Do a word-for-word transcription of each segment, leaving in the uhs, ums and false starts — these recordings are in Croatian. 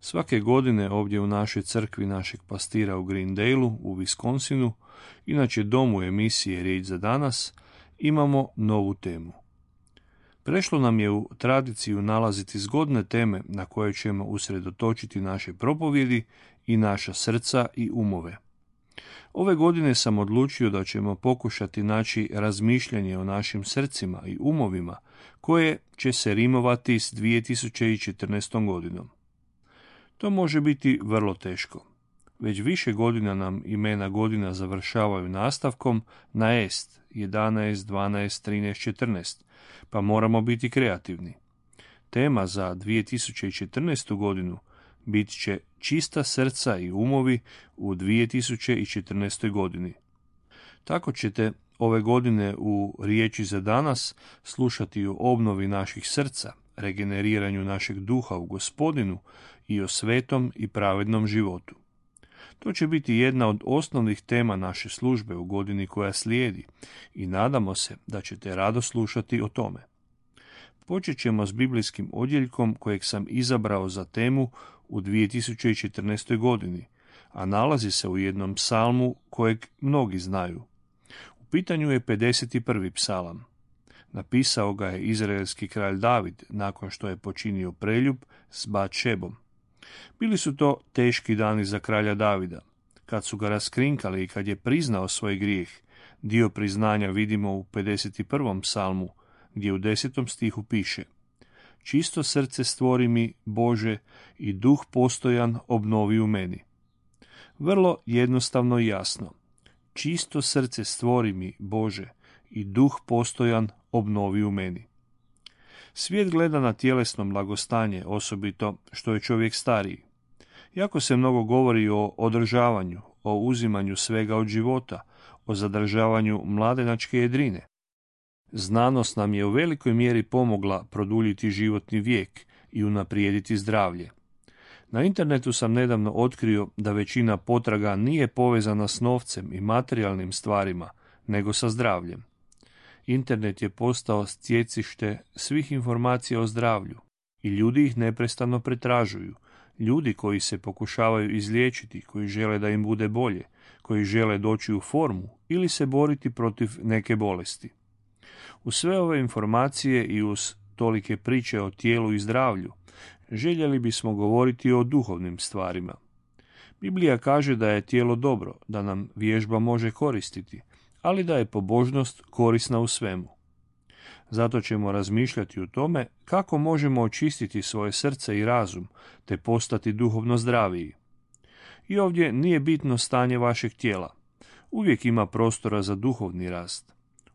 Svake godine ovdje u našoj crkvi našeg pastira u Greendaleu u Wisconsinu, inače domu emisije Riječ za danas, imamo novu temu. Prešlo nam je u tradiciju nalaziti zgodne teme na koje ćemo usredotočiti naše propovjedi i naša srca i umove. Ove godine sam odlučio da ćemo pokušati naći razmišljanje o našim srcima i umovima koje će se rimovati s dvije tisuće četrnaestom godinom. To može biti vrlo teško. Već više godina nam imena godina završavaju nastavkom na est, jedanaest, dvanaest, trinaest, četrnaest, pa moramo biti kreativni. Tema za dvije tisuće četrnaestu godinu bit će čista srca i umovi u dvije tisuće četrnaestoj godini. Tako ćete ove godine u Riječi za danas slušati o obnovi naših srca, regeneriranju našeg duha u Gospodinu i o svetom i pravednom životu. To će biti jedna od osnovnih tema naše službe u godini koja slijedi i nadamo se da ćete rado slušati o tome. Počet ćemo s biblijskim odjeljkom kojeg sam izabrao za temu u dvije tisuće četrnaestoj godini, a nalazi se u jednom psalmu kojeg mnogi znaju. U pitanju je pedeset prvi psalam. Napisao ga je izraelski kralj David nakon što je počinio preljub s Batšebom. Bili su to teški dani za kralja Davida. Kad su ga raskrinkali i kad je priznao svoj grijeh, dio priznanja vidimo u pedeset prvom psalmu, gdje u desetom stihu piše: Čisto srce stvori mi, Bože, i duh postojan obnovi u meni. Vrlo jednostavno i jasno. Čisto srce stvori mi, Bože, i duh postojan obnovi u meni. Svijet gleda na tjelesno blagostanje, osobito što je čovjek stariji. Jako se mnogo govori o održavanju, o uzimanju svega od života, o zadržavanju mladenačke jedrine. Znanost nam je u velikoj mjeri pomogla produljiti životni vijek i unaprijediti zdravlje. Na internetu sam nedavno otkrio da većina potraga nije povezana s novcem i materijalnim stvarima, nego sa zdravljem. Internet je postao stjecište svih informacija o zdravlju i ljudi ih neprestano pretražuju. Ljudi koji se pokušavaju izliječiti, koji žele da im bude bolje, koji žele doći u formu ili se boriti protiv neke bolesti. Uz sve ove informacije i uz tolike priče o tijelu i zdravlju, željeli bismo govoriti o duhovnim stvarima. Biblija kaže da je tijelo dobro, da nam vježba može koristiti, ali da je pobožnost korisna u svemu. Zato ćemo razmišljati o tome kako možemo očistiti svoje srce i razum, te postati duhovno zdraviji. I ovdje nije bitno stanje vašeg tijela. Uvijek ima prostora za duhovni rast.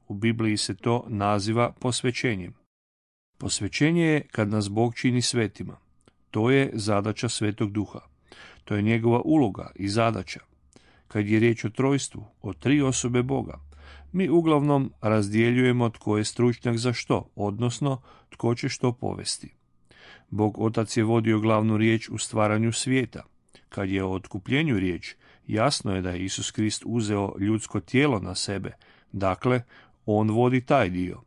U Bibliji se to naziva posvećenjem. Posvećenje je kad nas Bog čini svetima. To je zadaća Svetog Duha. To je njegova uloga i zadaća. Kad je riječ o trojstvu, o tri osobe Boga, mi uglavnom razdjeljujemo tko je stručnjak za što, odnosno tko će što povesti. Bog Otac je vodio glavnu riječ u stvaranju svijeta. Kad je o otkupljenju riječ, jasno je da je Isus Krist uzeo ljudsko tijelo na sebe, dakle, on vodi taj dio.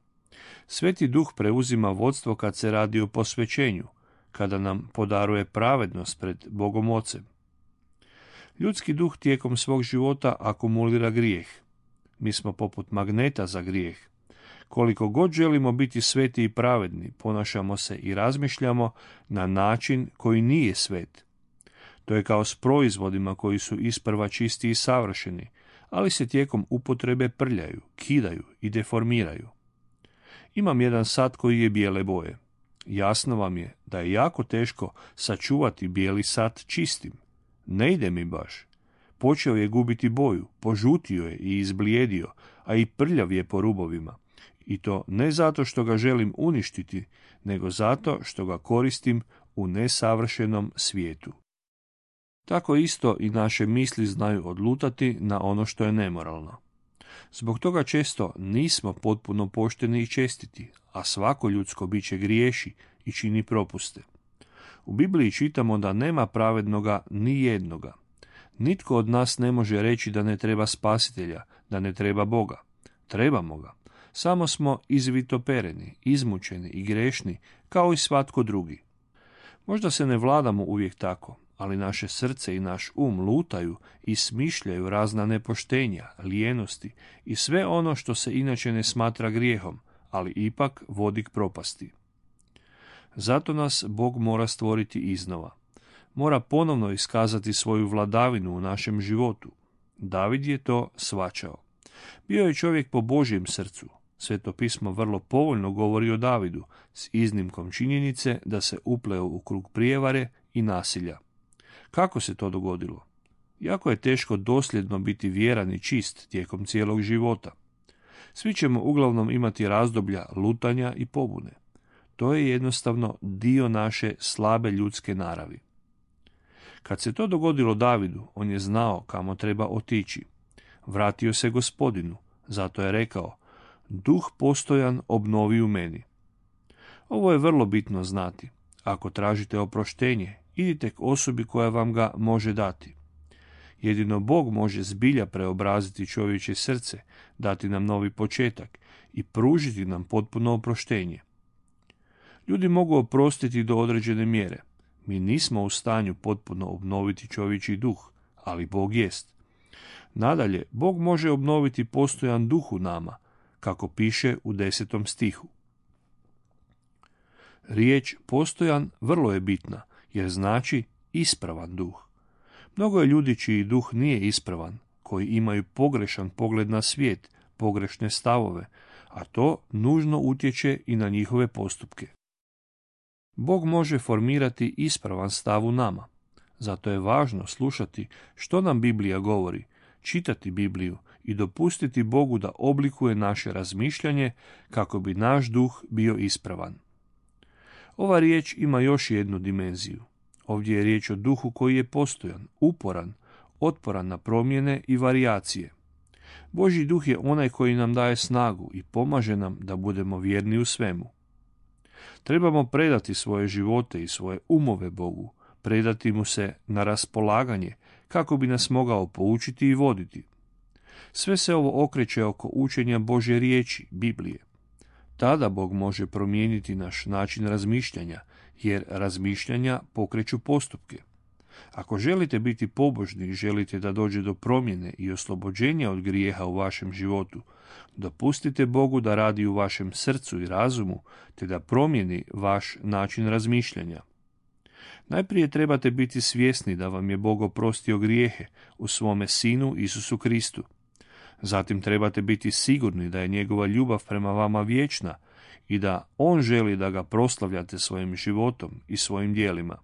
Sveti Duh preuzima vodstvo kad se radi o posvećenju, kada nam podaruje pravednost pred Bogom Ocem. Ljudski duh tijekom svog života akumulira grijeh. Mi smo poput magneta za grijeh. Koliko god želimo biti sveti i pravedni, ponašamo se i razmišljamo na način koji nije svet. To je kao s proizvodima koji su isprva čisti i savršeni, ali se tijekom upotrebe prljaju, kidaju i deformiraju. Imam jedan sat koji je bijele boje. Jasno vam je da je jako teško sačuvati bijeli sat čistim. Ne ide mi baš. Počeo je gubiti boju, požutio je i izblijedio, a i prljav je po rubovima. I to ne zato što ga želim uništiti, nego zato što ga koristim u nesavršenom svijetu. Tako isto i naše misli znaju odlutati na ono što je nemoralno. Zbog toga često nismo potpuno pošteni i čestiti, a svako ljudsko biće griješi i čini propuste. U Bibliji čitamo da nema pravednoga ni jednoga. Nitko od nas ne može reći da ne treba spasitelja, da ne treba Boga. Trebamo ga. Samo smo izvitopereni, izmučeni i grešni, kao i svatko drugi. Možda se ne vladamo uvijek tako, ali naše srce i naš um lutaju i smišljaju razna nepoštenja, lijenosti i sve ono što se inače ne smatra grijehom, ali ipak vodi k propasti. Zato nas Bog mora stvoriti iznova. Mora ponovno iskazati svoju vladavinu u našem životu. David je to shvaćao. Bio je čovjek po Božjem srcu. Sveto pismo vrlo povoljno govori o Davidu, s iznimkom činjenice da se upleo u krug prijevare i nasilja. Kako se to dogodilo? Jako je teško dosljedno biti vjeran i čist tijekom cijelog života. Svi ćemo uglavnom imati razdoblja lutanja i pobune. To je jednostavno dio naše slabe ljudske naravi. Kad se to dogodilo Davidu, on je znao kamo treba otići. Vratio se Gospodinu, zato je rekao: duh postojan obnovi u meni. Ovo je vrlo bitno znati. Ako tražite oproštenje, idite k osobi koja vam ga može dati. Jedino Bog može zbilja preobraziti čovječje srce, dati nam novi početak i pružiti nam potpuno oproštenje. Ljudi mogu oprostiti do određene mjere. Mi nismo u stanju potpuno obnoviti čovječji duh, ali Bog jest. Nadalje, Bog može obnoviti postojan duh u nama, kako piše u desetom stihu. Riječ postojan vrlo je bitna, jer znači ispravan duh. Mnogo je ljudi čiji duh nije ispravan, koji imaju pogrešan pogled na svijet, pogrešne stavove, a to nužno utječe i na njihove postupke. Bog može formirati ispravan stav u nama. Zato je važno slušati što nam Biblija govori, čitati Bibliju i dopustiti Bogu da oblikuje naše razmišljanje kako bi naš duh bio ispravan. Ova riječ ima još jednu dimenziju. Ovdje je riječ o duhu koji je postojan, uporan, otporan na promjene i varijacije. Božji duh je onaj koji nam daje snagu i pomaže nam da budemo vjerni u svemu. Trebamo predati svoje živote i svoje umove Bogu, predati mu se na raspolaganje kako bi nas mogao poučiti i voditi. Sve se ovo okreće oko učenja Božje riječi, Biblije. Tada Bog može promijeniti naš način razmišljanja, jer razmišljanja pokreću postupke. Ako želite biti pobožni i želite da dođe do promjene i oslobođenja od grijeha u vašem životu, dopustite Bogu da radi u vašem srcu i razumu, te da promijeni vaš način razmišljanja. Najprije trebate biti svjesni da vam je Bog oprostio grijehe u svome Sinu Isusu Kristu. Zatim trebate biti sigurni da je njegova ljubav prema vama vječna i da on želi da ga proslavljate svojim životom i svojim djelima.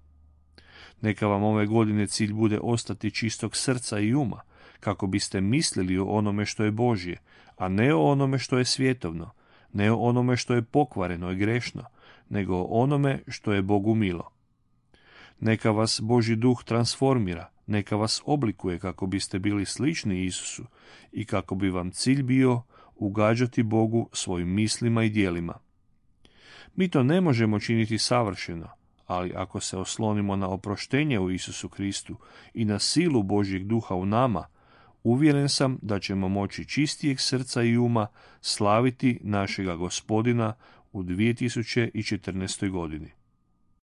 Neka vam ove godine cilj bude ostati čistog srca i uma, kako biste mislili o onome što je Božje, a ne o onome što je svjetovno, ne o onome što je pokvareno i grešno, nego o onome što je Bogu milo. Neka vas Božji duh transformira, neka vas oblikuje kako biste bili slični Isusu i kako bi vam cilj bio ugađati Bogu svojim mislima i djelima. Mi to ne možemo činiti savršeno, ali ako se oslonimo na oproštenje u Isusu Kristu i na silu Božjeg duha u nama, uvjeren sam da ćemo moći čistijeg srca i uma slaviti našega Gospodina u dvije tisuće četrnaestoj godini.